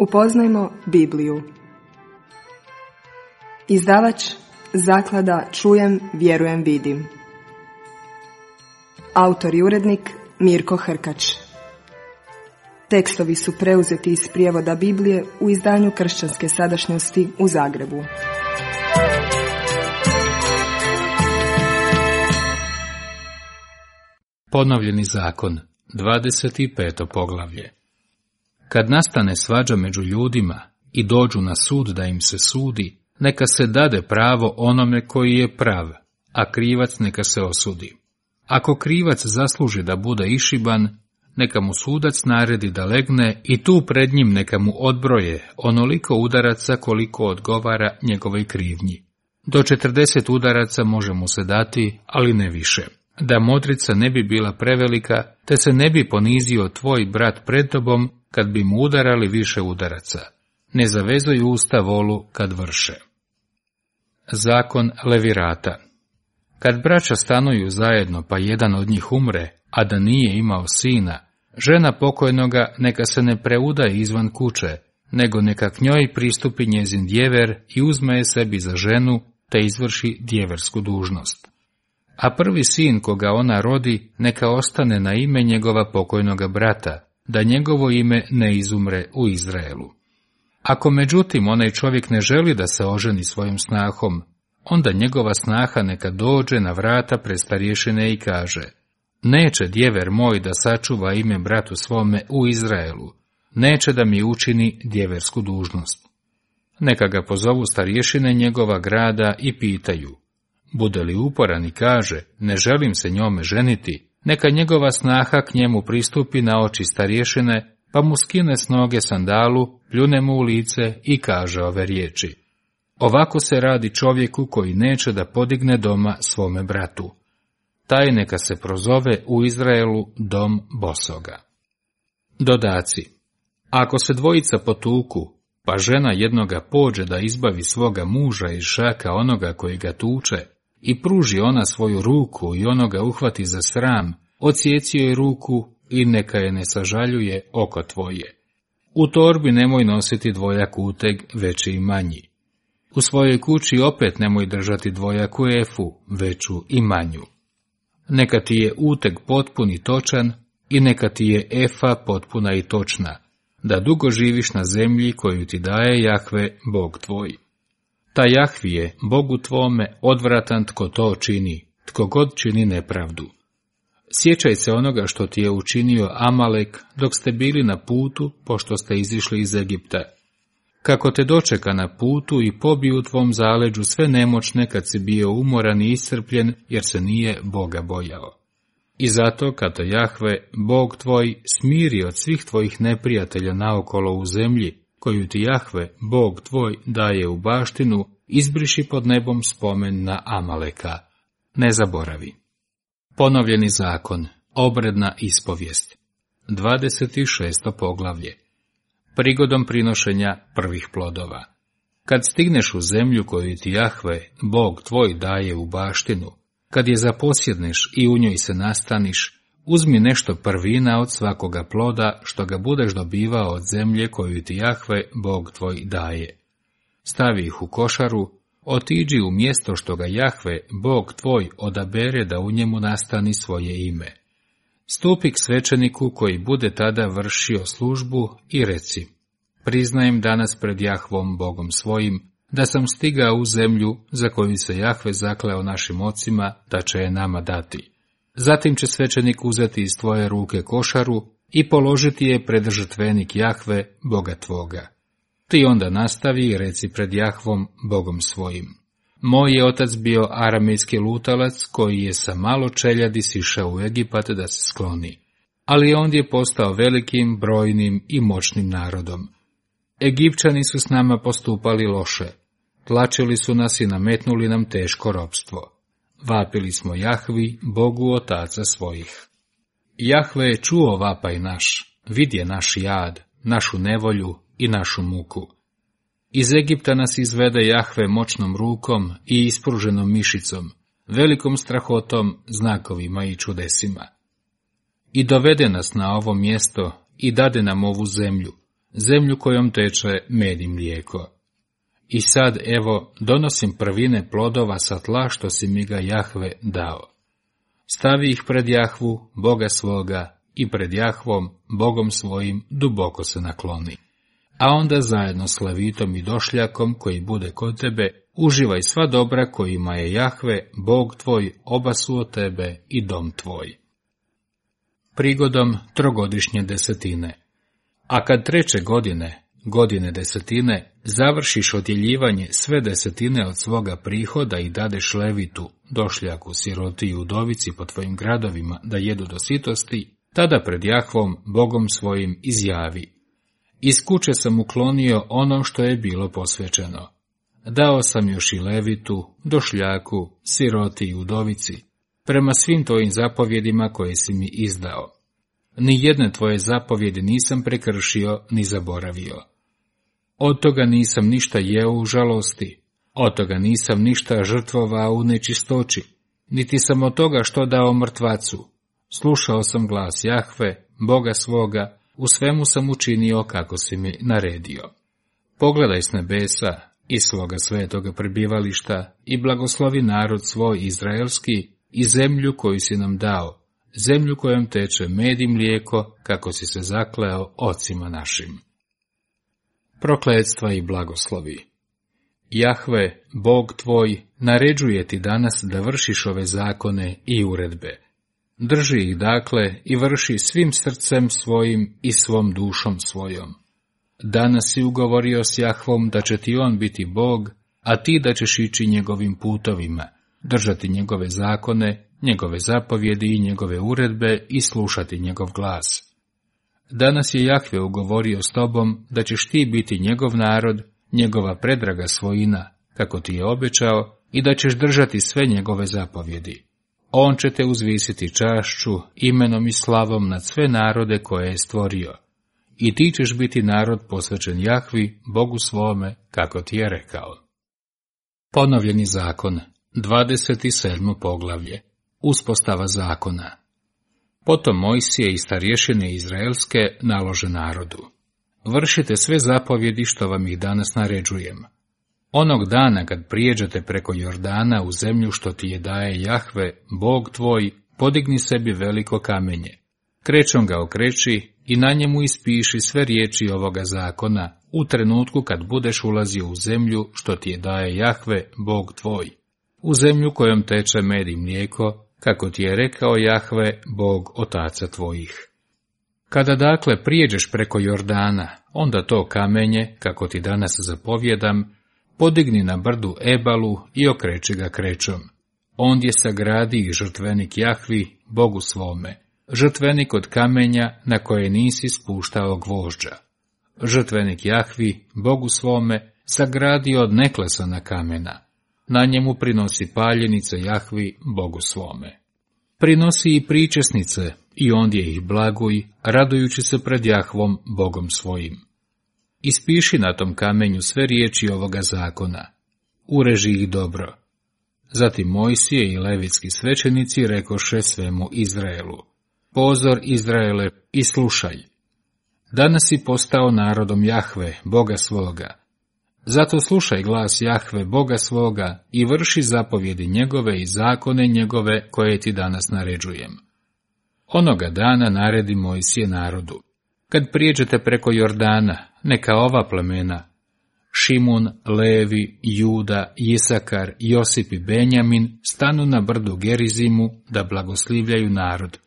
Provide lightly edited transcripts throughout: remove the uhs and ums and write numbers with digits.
Upoznajmo Bibliju. Izdavač Zaklada Čujem, vjerujem, vidim. Autor i urednik Mirko Hrkač. Tekstovi su preuzeti iz prijevoda Biblije u izdanju Kršćanske sadašnjosti u Zagrebu. Ponovljeni zakon, 25. poglavlje. Kad nastane svađa među ljudima i dođu na sud da im se sudi, neka se dade pravo onome koji je prav, a krivac neka se osudi. Ako krivac zasluži da bude išiban, neka mu sudac naredi da legne i tu pred njim neka mu odbroje onoliko udaraca koliko odgovara njegovoj krivnji. Do 40 udaraca može mu se dati, ali ne više. Da modrica ne bi bila prevelika, te se ne bi ponizio tvoj brat pred tobom kad bi mu udarali više udaraca. Ne zavezuj usta volu kad vrše. Zakon levirata. Kad braća stanuju zajedno pa jedan od njih umre, a da nije imao sina, žena pokojnoga neka se ne preudaje izvan kuće, nego neka k njoj pristupi njezin djever i uzme je sebi za ženu, te izvrši djeversku dužnost. A prvi sin koga ona rodi neka ostane na ime njegova pokojnoga brata, da njegovo ime ne izumre u Izraelu. Ako međutim onaj čovjek ne želi da se oženi svojom snahom, onda njegova snaha neka dođe na vrata pred starješine i kaže: neće djever moj da sačuva ime bratu svome u Izraelu, neće da mi učini djeversku dužnost. Neka ga pozovu starješine njegova grada i pitaju: bude li uporan i kaže, ne želim se njome ženiti, neka njegova snaha k njemu pristupi na oči starješine, pa mu skine s noge sandalu, pljune mu u lice i kaže ove riječi: ovako se radi čovjeku koji neće da podigne doma svome bratu. Taj neka se prozove u Izraelu dom bosoga. Dodaci. Ako se dvojica potuku, pa žena jednoga pođe da izbavi svoga muža iz šaka onoga koji ga tuče, i pruži ona svoju ruku i onoga uhvati za sram, odsjeci joj ruku i neka je ne sažaljuje oko tvoje. U torbi nemoj nositi dvojak uteg, veći i manji. U svojoj kući opet nemoj držati dvojaku efu, veću i manju. Neka ti je uteg potpun i točan i neka ti je efa potpuna i točna, da dugo živiš na zemlji koju ti daje Jahve, Bog tvoj. Ta Jahvi je, Bogu tvome, odvratan tko to čini, tko god čini nepravdu. Sjećaj se onoga što ti je učinio Amalek dok ste bili na putu, pošto ste izišli iz Egipta. Kako te dočeka na putu i pobiju u tvom zaleđu sve nemoćne kad si bio umoran i iscrpljen, jer se nije Boga bojao. I zato, kada Jahve, Bog tvoj, smiri od svih tvojih neprijatelja naokolo u zemlji, koju ti Jahve, Bog tvoj, daje u baštinu, izbriši pod nebom spomen na Amaleka. Ne zaboravi. Ponovljeni zakon, obredna ispovijest. 26. poglavlje. Prigodom prinošenja prvih plodova. Kad stigneš u zemlju koju ti Jahve, Bog tvoj, daje u baštinu, kad je zaposjedneš i u njoj se nastaniš, uzmi nešto prvina od svakoga ploda što ga budeš dobivao od zemlje koju ti Jahve, Bog tvoj, daje. Stavi ih u košaru, otiđi u mjesto što ga Jahve, Bog tvoj, odabere da u njemu nastani svoje ime. Stupi k svećeniku koji bude tada vršio službu i reci: priznajem danas pred Jahvom, Bogom svojim, da sam stigao u zemlju za koju se Jahve zakleo našim ocima da će je nama dati. Zatim će svećenik uzeti iz tvoje ruke košaru i položiti je pred žrtvenik Jahve, Boga tvoga. Ti onda nastavi i reci pred Jahvom, Bogom svojim: moj je otac bio aramejski lutalac koji je sa malo čeljadi sišao u Egipat da se skloni, ali ondje je postao velikim, brojnim i moćnim narodom. Egipćani su s nama postupali loše, tlačili su nas i nametnuli nam teško ropstvo. Vapili smo Jahvi, Bogu otaca svojih. Jahve je čuo vapaj naš, vidje naš jad, našu nevolju i našu muku. Iz Egipta nas izvede Jahve moćnom rukom i ispruženom mišicom, velikom strahotom, znakovima i čudesima. I dovede nas na ovo mjesto i dade nam ovu zemlju, zemlju kojom teče med i mlijeko. I sad, evo, donosim prvine plodova sa tla što si mi ga Jahve dao. Stavi ih pred Jahvu, Boga svoga, i pred Jahvom, Bogom svojim, duboko se nakloni. A onda zajedno s levitom i došljakom koji bude kod tebe, uživaj sva dobra kojima je Jahve, Bog tvoj, oba su od tebe i dom tvoj. Prigodom trogodišnje desetine. A kad 3. godine desetine, završiš odjeljivanje sve desetine od svoga prihoda i dadeš levitu, došljaku, siroti i udovici po tvojim gradovima da jedu do sitosti, tada pred Jahvom, Bogom svojim, izjavi: iz kuće sam uklonio ono što je bilo posvećeno. Dao sam još i levitu, došljaku, siroti i udovici, prema svim tvojim zapovjedima koje si mi izdao. Ni jedne tvoje zapovjedi nisam prekršio ni zaboravio. Od toga nisam ništa jeo u žalosti, od toga nisam ništa žrtvovao u nečistoći, niti sam od toga što dao mrtvacu. Slušao sam glas Jahve, Boga svoga, u svemu sam učinio kako si mi naredio. Pogledaj s nebesa, iz svoga svetoga prebivališta, i blagoslovi narod svoj izraelski i zemlju koju si nam dao, zemlju kojom teče med i mlijeko, kako si se zakleo ocima našim. Prokletstva i blagoslovi. Jahve, Bog tvoj, naređuje ti danas da vršiš ove zakone i uredbe. Drži ih dakle i vrši svim srcem svojim i svom dušom svojom. Danas si ugovorio s Jahvom da će ti on biti Bog, a ti da ćeš ići njegovim putovima, držati njegove zakone, njegove zapovjedi i njegove uredbe i slušati njegov glas. Danas je Jahve ugovorio s tobom da ćeš ti biti njegov narod, njegova predraga svojina, kako ti je obećao, i da ćeš držati sve njegove zapovjedi. On će te uzvisiti čašću, imenom i slavom nad sve narode koje je stvorio. I ti ćeš biti narod posvećen Jahvi, Bogu svome, kako ti je rekao. Ponovljeni zakon, 27. poglavlje. Uspostava zakona. Potom Mojsije i starješine izraelske nalože narodu: vršite sve zapovjedi što vam ih danas naređujem. Onog dana kad prijeđete preko Jordana u zemlju što ti je daje Jahve, Bog tvoj, podigni sebi veliko kamenje. Krećom ga okreći i na njemu ispiši sve riječi ovoga zakona u trenutku kad budeš ulazio u zemlju što ti je daje Jahve, Bog tvoj, u zemlju kojom teče med i mlijeko, kako ti je rekao Jahve, Bog otaca tvojih. Kada dakle prijeđeš preko Jordana, onda to kamenje, kako ti danas zapovjedam, podigni na brdu Ebalu i okreći ga krećom. Ondje sagradi i žrtvenik Jahvi, Bogu svome, žrtvenik od kamenja na koje nisi spuštao gvožđa. Žrtvenik Jahvi, Bogu svome, sagradi od neklesana kamena. Na njemu prinosi paljenice Jahvi, Bogu svome. Prinosi i pričesnice, i ondje ih blaguj, radujući se pred Jahvom, Bogom svojim. Ispiši na tom kamenju sve riječi ovoga zakona. Ureži ih dobro. Zatim Mojsije i levitski svećenici rekoše svemu Izraelu: pozor Izraele i slušaj. Danas si postao narodom Jahve, Boga svoga. Zato slušaj glas Jahve, Boga svoga, i vrši zapovjedi njegove i zakone njegove koje ti danas naređujem. Onoga dana naredi Mojsije narodu: kad prijeđete preko Jordana, neka ova plemena, Šimun, Levi, Juda, Isakar, Josip i Benjamin, stanu na brdu Gerizimu da blagoslivljaju narod,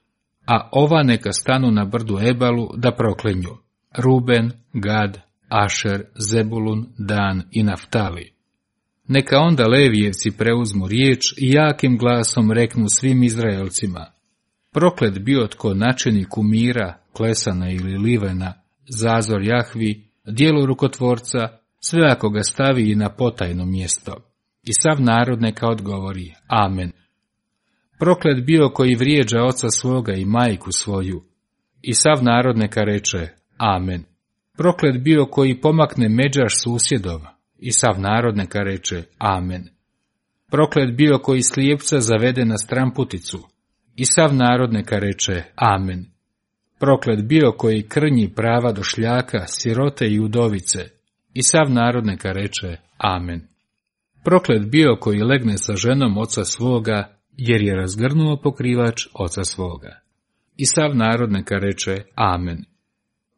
a ova neka stanu na brdu Ebalu da proklinju: Ruben, Gad, Ašer, Zebulun, Dan i Naftali. Neka onda Levijevci preuzmu riječ i jakim glasom reknu svim Izraelcima: proklet bio tko načini kumira, klesana ili livena, zazor Jahvi, djelo rukotvorca, sve ako ga stavi i na potajno mjesto. I sav narod neka odgovori: amen. Proklet bio koji vrijeđa oca svoga i majku svoju. I sav narod neka reče: amen. Proklet bio koji pomakne međaš susjedov. I sav narod neka reče: amen. Proklet bio koji slijepca zavede na stramputicu. I sav narod neka reče: amen. Proklet bio koji krnji prava došljaka, sirote i udovice, i sav narod neka reče amen. Proklet bio koji legne sa ženom oca svoga, jer je razgrnuo pokrivač oca svoga. I sav narod neka reče amen.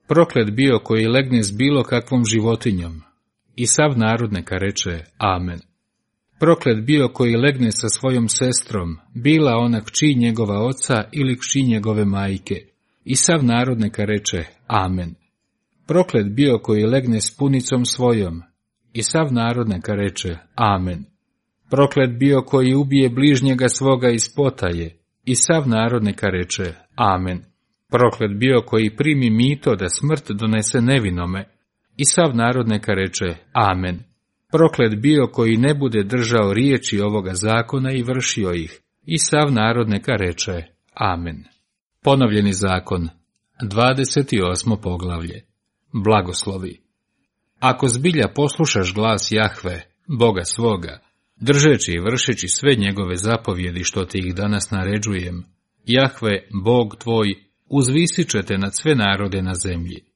Proklet bio koji legne s bilo kakvom životinjom, i sav narod neka reče amen. Proklet bio koji legne sa svojom sestrom, bila ona kći njegova oca ili kći njegove majke, i sav narod neka reče amen. Proklet bio koji legne s punicom svojom, i sav narod neka reče amen. Proklet bio koji ubije bližnjega svoga iz potaje, i sav narod neka reče amen. Proklet bio koji primi mito da smrt donese nevinome, i sav narod neka reče amen. Proklet bio koji ne bude držao riječi ovoga zakona i vršio ih, i sav narod neka reče amen. Ponovljeni zakon, 28. poglavlje. Blagoslovi. Ako zbilja poslušaš glas Jahve, Boga svoga, držeći i vršeći sve njegove zapovjedi što ti ih danas naređujem, Jahve, Bog tvoj, uzvisit će te nad sve narode na zemlji.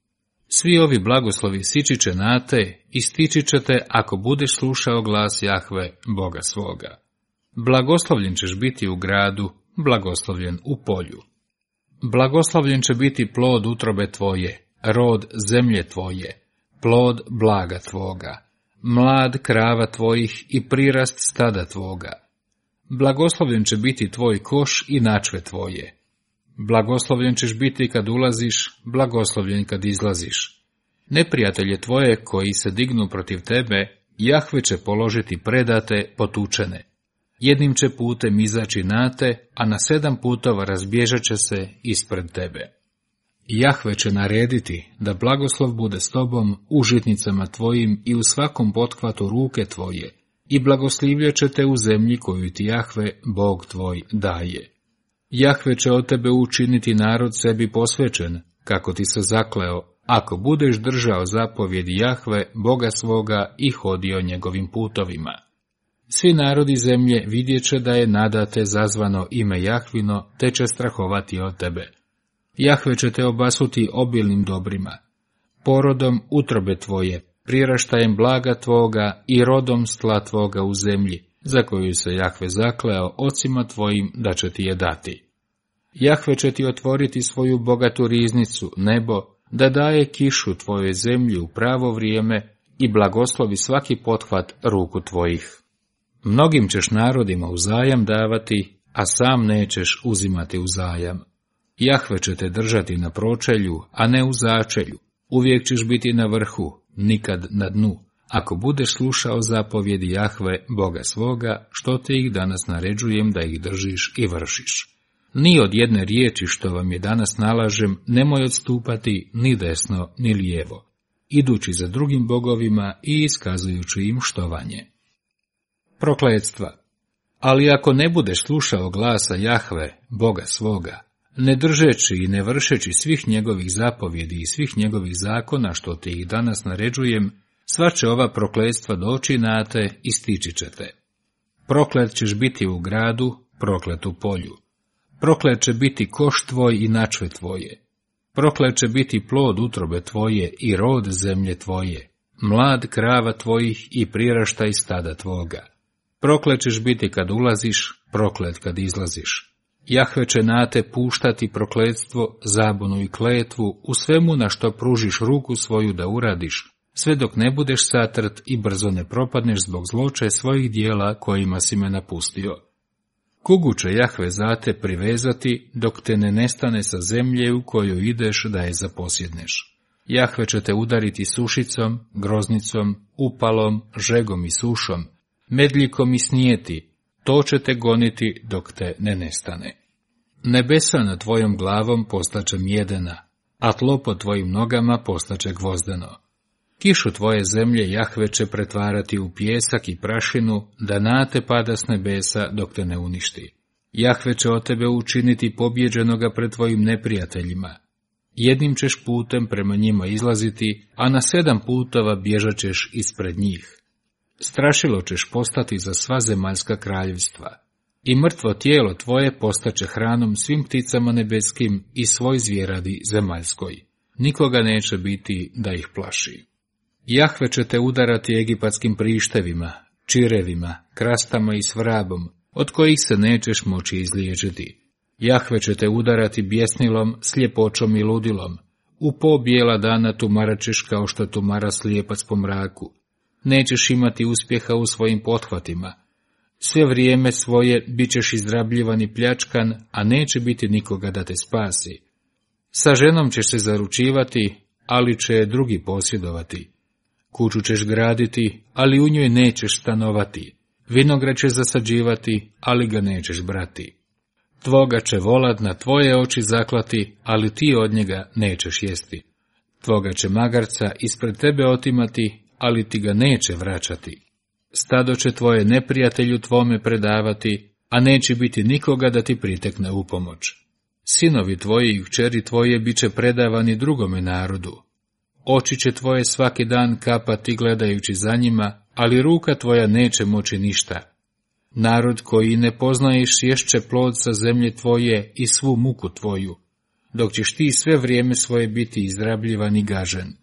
Svi ovi blagoslovi sići će na te i stići će te ako budeš slušao glas Jahve, Boga svoga. Blagoslovljen ćeš biti u gradu, blagoslovljen u polju. Blagoslovljen će biti plod utrobe tvoje, rod zemlje tvoje, plod blaga tvoga, mlad krava tvojih i prirast stada tvoga. Blagoslovljen će biti tvoj koš i načve tvoje. Blagoslovljen ćeš biti kad ulaziš, blagoslovljen kad izlaziš. Neprijatelje tvoje koji se dignu protiv tebe, Jahve će položiti predate, potučene. Jednim će putem izaći na te, a na 7 putova razbježat će se ispred tebe. Jahve će narediti da blagoslov bude s tobom u žitnicama tvojim i u svakom pothvatu ruke tvoje, i blagoslivljat će te u zemlji koju ti Jahve, Bog tvoj, daje. Jahve će od tebe učiniti narod sebi posvećen, kako ti se zakleo, ako budeš držao zapovjedi Jahve, Boga svoga, i hodio njegovim putovima. Svi narodi zemlje vidjet će da je nadate zazvano ime Jahvino, te će strahovati od tebe. Jahve će te obasuti obilnim dobrima, porodom utrobe tvoje, priraštajem blaga tvoga i rodom s tla tvoga u zemlji, za koju se Jahve zakleo ocima tvojim da će ti je dati. Jahve će ti otvoriti svoju bogatu riznicu, nebo, da daje kišu tvojoj zemlji u pravo vrijeme i blagoslovi svaki pothvat ruku tvojih. Mnogim ćeš narodima uzajam davati, a sam nećeš uzimati uzajam. Jahve će te držati na pročelju, a ne u začelju. Uvijek ćeš biti na vrhu, nikad na dnu, ako budeš slušao zapovjedi Jahve, Boga svoga, što te ih danas naređujem da ih držiš i vršiš. Ni od jedne riječi što vam je danas nalažem, nemoj odstupati ni desno ni lijevo, idući za drugim bogovima i iskazujući im štovanje. Prokletstva. Ali ako ne budeš slušao glasa Jahve, Boga svoga, ne držeći i ne vršeći svih njegovih zapovjedi i svih njegovih zakona što ti ih danas naređujem, sva će ova prokletstva doći na te i stići će te. Proklet ćeš biti u gradu, proklet u polju. Proklet će biti koš tvoj i načve tvoje. Proklet će biti plod utrobe tvoje i rod zemlje tvoje, mlad krava tvojih i priraštaj stada tvoga. Proklet ćeš biti kad ulaziš, proklet kad izlaziš. Jahve će na te puštati prokletstvo, zabunu i kletvu u svemu na što pružiš ruku svoju da uradiš, sve dok ne budeš satrt i brzo ne propadneš zbog zloče svojih dijela kojima si me napustio. Kugu će Jahve za te privezati dok te ne nestane sa zemlje u koju ideš da je zaposjedneš. Jahve će te udariti sušicom, groznicom, upalom, žegom i sušom, medljikom i snijeti, to će te goniti dok te ne nestane. Nebesa nad tvojom glavom postaće mjedena, a tlo pod tvojim nogama postaće gvozdeno. Kišu tvoje zemlje Jahve će pretvarati u pijesak i prašinu, da na te pada s nebesa dok te ne uništi. Jahve će od tebe učiniti pobjeđenoga pred tvojim neprijateljima. Jednim ćeš putem prema njima izlaziti, a na 7 putova bježat ćeš ispred njih. Strašilo ćeš postati za sva zemaljska kraljevstva. i mrtvo tijelo tvoje postaće hranom svim pticama nebeskim i svoj zvjeradi zemaljskoj. Nikoga neće biti da ih plaši. Jahve će te udarati egipatskim prištevima, čirevima, krastama i svrabom, od kojih se nećeš moći izliječiti. Jahve će te udarati bjesnilom, sljepoćom i ludilom. U po bijela dana tumaraćeš kao što tumara slijepac po mraku. Nećeš imati uspjeha u svojim pothvatima. Sve vrijeme svoje bit ćeš izrabljivan i pljačkan, a neće biti nikoga da te spasi. Sa ženom ćeš se zaručivati, ali će je drugi posjedovati. Kuću ćeš graditi, ali u njoj nećeš stanovati. Vinograd ćeš zasađivati, ali ga nećeš brati. Tvoga će volad na tvoje oči zaklati, ali ti od njega nećeš jesti. Tvoga će magarca ispred tebe otimati, ali ti ga neće vraćati. Stado će tvoje neprijatelju tvome predavati, a neće biti nikoga da ti pritekne u pomoć. Sinovi tvoji i kćeri tvoje bit će predavani drugome narodu. Oči će tvoje svaki dan kapati gledajući za njima, ali ruka tvoja neće moći ništa. Narod koji ne poznaješ ješće plod sa zemlje tvoje i svu muku tvoju, dok ćeš ti sve vrijeme svoje biti izrabljivan i gažen.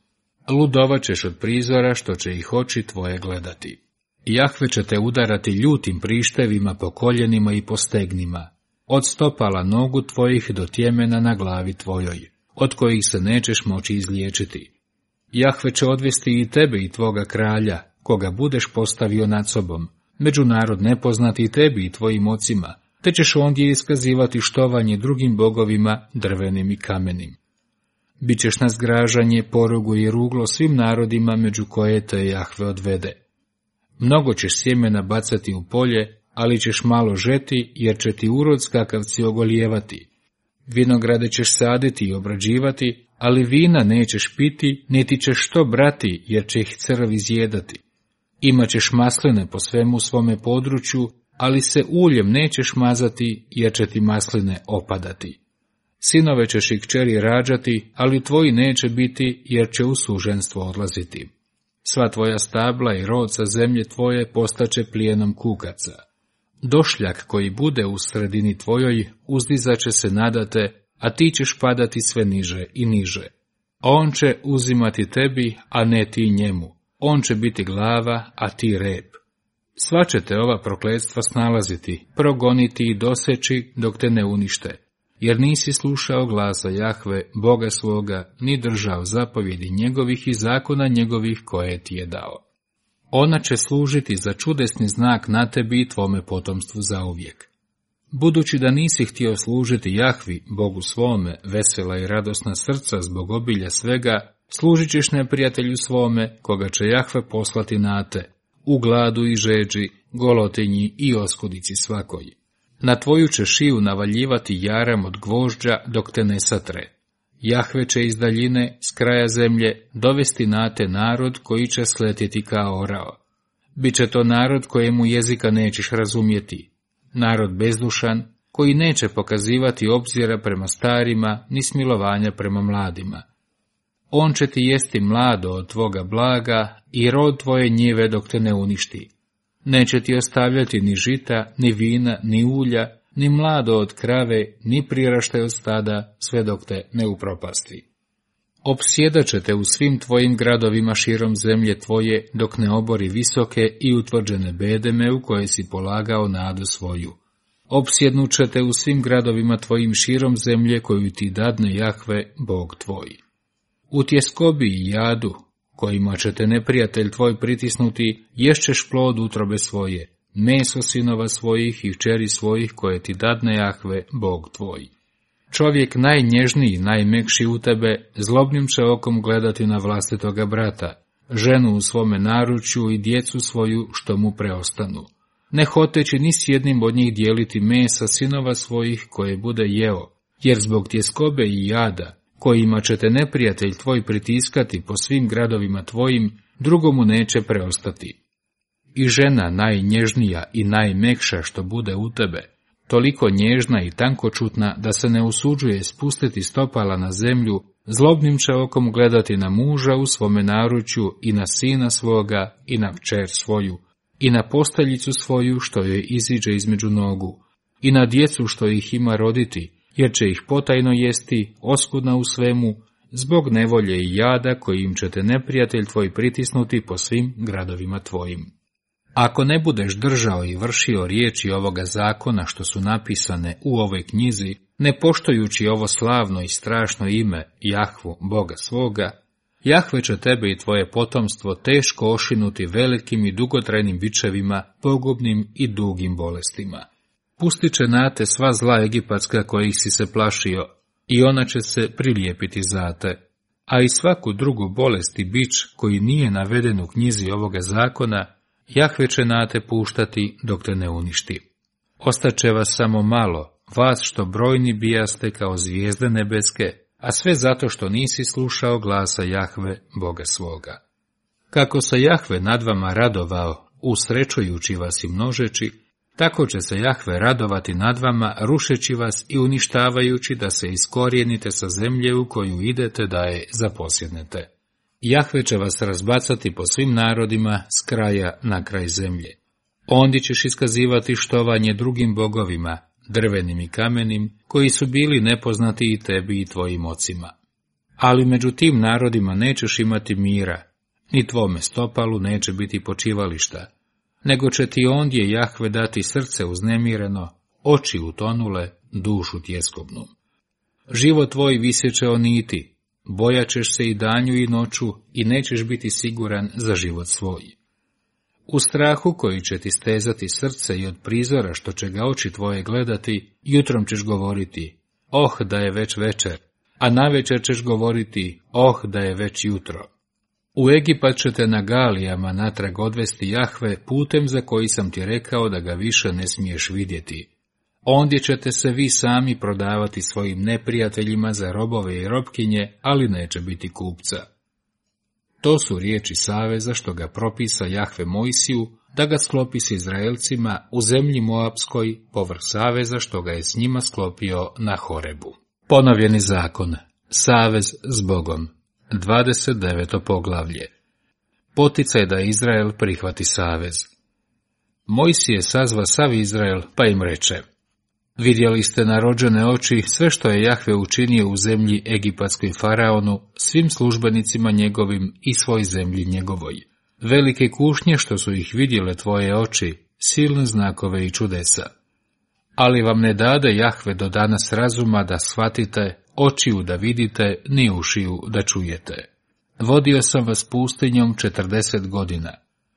Ludovat ćeš od prizora što će ih oči tvoje gledati. Jahve će te udarati ljutim prištevima po koljenima i po stegnima, od stopala nogu tvojih do tjemena na glavi tvojoj, od kojih se nećeš moći izliječiti. Jahve će odvesti i tebe i tvoga kralja, koga budeš postavio nad sobom, među narod nepoznati i tebi i tvojim ocima, te ćeš ondje iskazivati štovanje drugim bogovima, drvenim i kamenim. Bićeš na zgražanje, porugu i ruglo svim narodima među koje te Jahve odvede. Mnogo ćeš sjemena bacati u polje, ali ćeš malo žeti, jer će ti urod skakavci ogolijevati. Vinograde ćeš saditi i obrađivati, ali vina nećeš piti, niti ćeš što brati, jer će ih crv izjedati. Imaćeš masline po svemu svome području, ali se uljem nećeš mazati, jer će ti masline opadati. Sinove ćeš i kćeri rađati, ali tvoji neće biti, jer će u suženstvo odlaziti. Sva tvoja stabla i rod sa zemlje tvoje postaće plijenom kukaca. Došljak koji bude u sredini tvojoj uzdizaće se nadate, a ti ćeš padati sve niže i niže. On će uzimati tebi, a ne ti njemu. On će biti glava, a ti rep. Sva će te ova prokletstva snalaziti, progoniti i doseći dok te ne unište, jer nisi slušao glasa Jahve, Boga svoga, ni držao zapovjedi njegovih i zakona njegovih koje ti je dao. Ona će služiti za čudesni znak na tebi i tvome potomstvu zauvijek. Budući da nisi htio služiti Jahvi, Bogu svome, vesela i radosna srca zbog obilja svega, služit ćeš neprijatelju svome, koga će Jahve poslati na te, u gladu i žeđi, golotinji i oskudici svakoj. Na tvoju će šiju navaljivati jaram od gvožđa dok te ne satre. Jahve će iz daljine, s kraja zemlje, dovesti na te narod koji će sletjeti kao orao. Biće to narod kojemu jezika nećeš razumjeti. Narod bezdušan, koji neće pokazivati obzira prema starima, ni smilovanja prema mladima. On će ti jesti mlado od tvoga blaga i rod tvoje njive dok te ne uništi. Neće ti ostavljati ni žita, ni vina, ni ulja, ni mlado od krave, ni priraštaj od stada, sve dok te ne upropasti. Opsjedat će te u svim tvojim gradovima širom zemlje tvoje, dok ne obori visoke i utvrđene bedeme u koje si polagao nadu svoju. Opsjednut će te u svim gradovima tvojim širom zemlje koju ti dadne Jahve, Bog tvoj. U tjeskobi i jadu, kojima će te neprijatelj tvoj pritisnuti, ješćeš plod utrobe svoje, meso sinova svojih i kćeri svojih koje ti dadne Jahve, Bog tvoj. Čovjek najnježniji, najmekši u tebe, zlobnim će okom gledati na vlastitoga brata, ženu u svome naručju i djecu svoju što mu preostanu, ne hoteći ni s jednim od njih dijeliti mesa sinova svojih koje bude jeo, jer zbog tjeskobe i jada, kojima će te neprijatelj tvoj pritiskati po svim gradovima tvojim, drugomu neće preostati. I žena najnježnija i najmekša što bude u tebe, toliko nježna i tankočutna da se ne usuđuje spustiti stopala na zemlju, zlobnim će okom gledati na muža u svome naručju i na sina svoga i na kćer svoju i na posteljicu svoju što joj iziđe između nogu, i na djecu što ih ima roditi, jer će ih potajno jesti, oskudna u svemu, zbog nevolje i jada kojim će te neprijatelj tvoj pritisnuti po svim gradovima tvojim. Ako ne budeš držao i vršio riječi ovoga zakona što su napisane u ovoj knjizi, ne poštujući ovo slavno i strašno ime Jahvu, Boga svoga, Jahve će tebe i tvoje potomstvo teško ošinuti velikim i dugotrajnim bičevima, pogubnim i dugim bolestima. Pustit će na te sva zla egipatska kojih si se plašio, i ona će se prilijepiti za te, a i svaku drugu bolest i bič koji nije naveden u knjizi ovoga zakona, Jahve će na te puštati dok te ne uništi. Ostaće vas samo malo, vas što brojni bijaste kao zvijezde nebeske, a sve zato što nisi slušao glasa Jahve, Boga svoga. Kako se Jahve nad vama radovao, usrećujući vas i množeći, tako će se Jahve radovati nad vama, rušeći vas i uništavajući da se iskorijenite sa zemlje u koju idete da je zaposjednete. Jahve će vas razbacati po svim narodima s kraja na kraj zemlje. Ondi ćeš iskazivati štovanje drugim bogovima, drvenim i kamenim, koji su bili nepoznati i tebi i tvojim ocima. Ali među tim narodima nećeš imati mira, ni tvome stopalu neće biti počivališta, nego će ti ondje Jahve dati srce uznemireno, oči utonule, dušu tjeskobnu. Život tvoj visjeće o niti, bojaćeš se i danju i noću i nećeš biti siguran za život svoj. U strahu koji će ti stezati srce i od prizora što će ga oči tvoje gledati, jutrom ćeš govoriti, oh da je već večer, a navečer ćeš govoriti, oh da je već jutro. U Egipat će te na galijama natrag odvesti Jahve putem za koji sam ti rekao da ga više ne smiješ vidjeti. Ondje ćete se vi sami prodavati svojim neprijateljima za robove i robkinje, ali neće biti kupca. To su riječi saveza što ga propisa Jahve Mojsiju, da ga sklopi s Izraelcima u zemlji Moapskoj, povrh saveza što ga je s njima sklopio na Horebu. Ponovljeni zakon. Savez s Bogom. 29. poglavlje. Poticaj da Izrael prihvati savez. Mojsije sazva sav Izrael, pa im reče: vidjeli ste na rođene oči sve što je Jahve učinio u zemlji egipatskoj faraonu, svim službenicima njegovim i svoj zemlji njegovoj. Velike kušnje što su ih vidjele tvoje oči, silne znakove i čudesa. Ali vam ne dade Jahve do danas razuma da shvatite, očiju da vidite, ni ušiju da čujete. Vodio sam vas pustinjom 40 godina.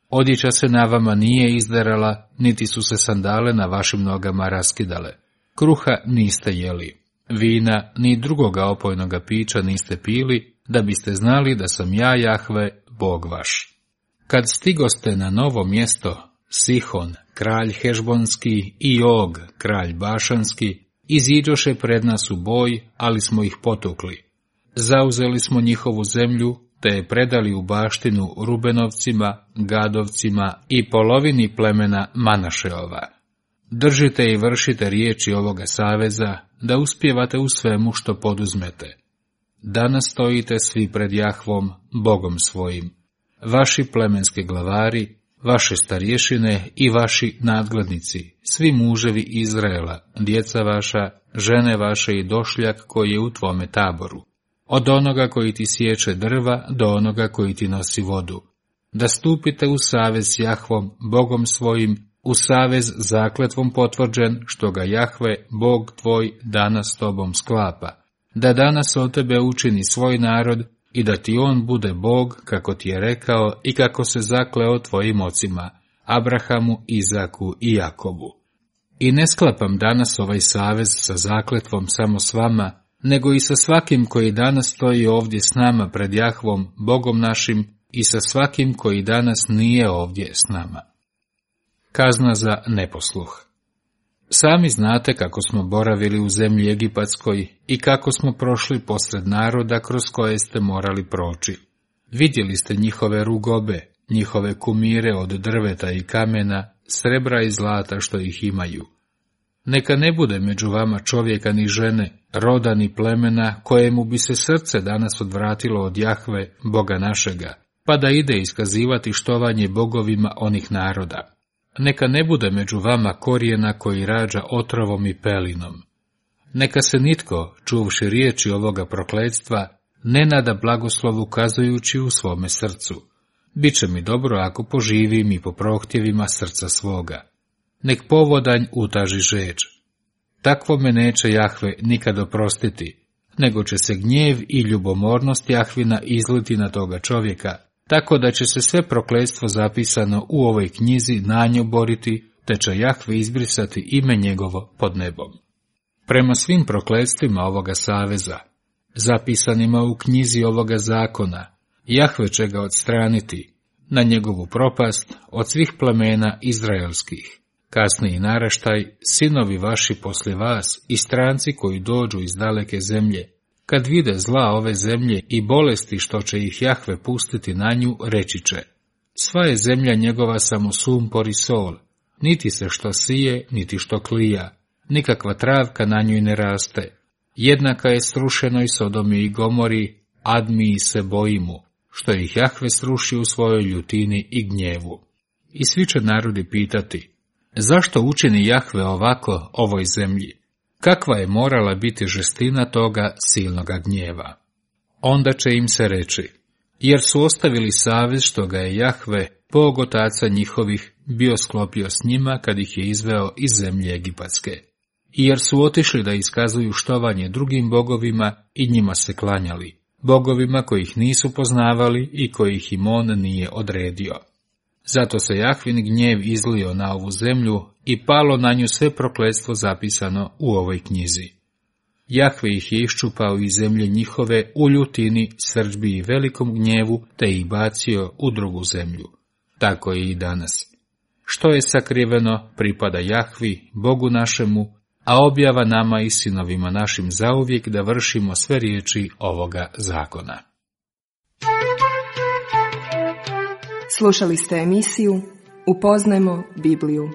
Odjeća se na vama nije izderala, niti su se sandale na vašim nogama raskidale. Kruha niste jeli, vina ni drugoga opojnoga pića niste pili, da biste znali da sam ja Jahve, Bog vaš. Kad stigoste na novo mjesto, Sihon, kralj Hešbonski, i Og, kralj Bašanski, iziđoše pred nas u boj, ali smo ih potukli. Zauzeli smo njihovu zemlju, te je predali u baštinu Rubenovcima, Gadovcima i polovini plemena Manašeova. Držite i vršite riječi ovoga saveza, da uspijevate u svemu što poduzmete. Danas stojite svi pred Jahvom, Bogom svojim, vaši plemenski glavari, vaše starješine i vaši nadglednici, svi muževi Izraela, djeca vaša, žene vaše i došljak koji je u tvome taboru, od onoga koji ti sječe drva do onoga koji ti nosi vodu, da stupite u savez s Jahvom, Bogom svojim, u savez zakletvom potvrđen, što ga Jahve, Bog tvoj, danas s tobom sklapa, da danas od tebe učini svoj narod i da ti on bude Bog, kako ti je rekao i kako se zakleo tvojim ocima, Abrahamu, Izaku i Jakobu. I ne sklapam danas ovaj savez sa zakletvom samo s vama, nego i sa svakim koji danas stoji ovdje s nama pred Jahvom, Bogom našim, i sa svakim koji danas nije ovdje s nama. Kazna za neposluh. Sami znate kako smo boravili u zemlji egipatskoj i kako smo prošli posred naroda kroz koje ste morali proći. Vidjeli ste njihove rugobe, njihove kumire od drveta i kamena, srebra i zlata što ih imaju. Neka ne bude među vama čovjeka ni žene, roda ni plemena, kojemu bi se srce danas odvratilo od Jahve, Boga našega, pa da ide iskazivati štovanje bogovima onih naroda. neka ne bude među vama korijena koji rađa otrovom i pelinom. Neka se nitko, čuvši riječi ovoga prokletstva, ne nada blagoslovu kazujući u svome srcu. Biće mi dobro ako poživim i po prohtjevima srca svoga. Nek povodanj utaži žeđ. Takvo me neće Jahve nikad oprostiti, nego će se gnjev i ljubomornost Jahvina izliti na toga čovjeka, tako da će se sve prokletstvo zapisano u ovoj knjizi na nju boriti, te će Jahve izbrisati ime njegovo pod nebom. Prema svim prokletstvima ovoga saveza, zapisanima u knjizi ovoga zakona, Jahve će ga odstraniti, na njegovu propast od svih plemena izraelskih. Kasniji naraštaj, sinovi vaši poslije vas i stranci koji dođu iz daleke zemlje, kad vide zla ove zemlje i bolesti što će ih Jahve pustiti na nju, reći će: sva je zemlja njegova samo sumpor i sol, niti se što sije, niti što klija, nikakva travka na njoj ne raste. Jednaka je srušenoj Sodomi i Gomori, Admiji se bojimu, što ih Jahve sruši u svojoj ljutini i gnjevu. I svi će narodi pitati: zašto učini Jahve ovako ovoj zemlji? Kakva je morala biti žestina toga silnoga gnjeva? Onda će im se reći: jer su ostavili savez što ga je Jahve, Bog otaca njihovih, bio sklopio s njima kad ih je izveo iz zemlje egipatske. I jer su otišli da iskazuju štovanje drugim bogovima i njima se klanjali, bogovima kojih nisu poznavali i kojih im on nije odredio. Zato se Jahvin gnjev izlio na ovu zemlju i palo na nju sve prokletstvo zapisano u ovoj knjizi. Jahve ih je iščupao iz zemlje njihove u ljutini, srdžbi i velikom gnjevu, te ih bacio u drugu zemlju. Tako je i danas. Što je sakriveno, pripada Jahvi, Bogu našemu, a objava nama i sinovima našim zauvijek da vršimo sve riječi ovoga zakona. Slušali ste emisiju Upoznajmo Bibliju.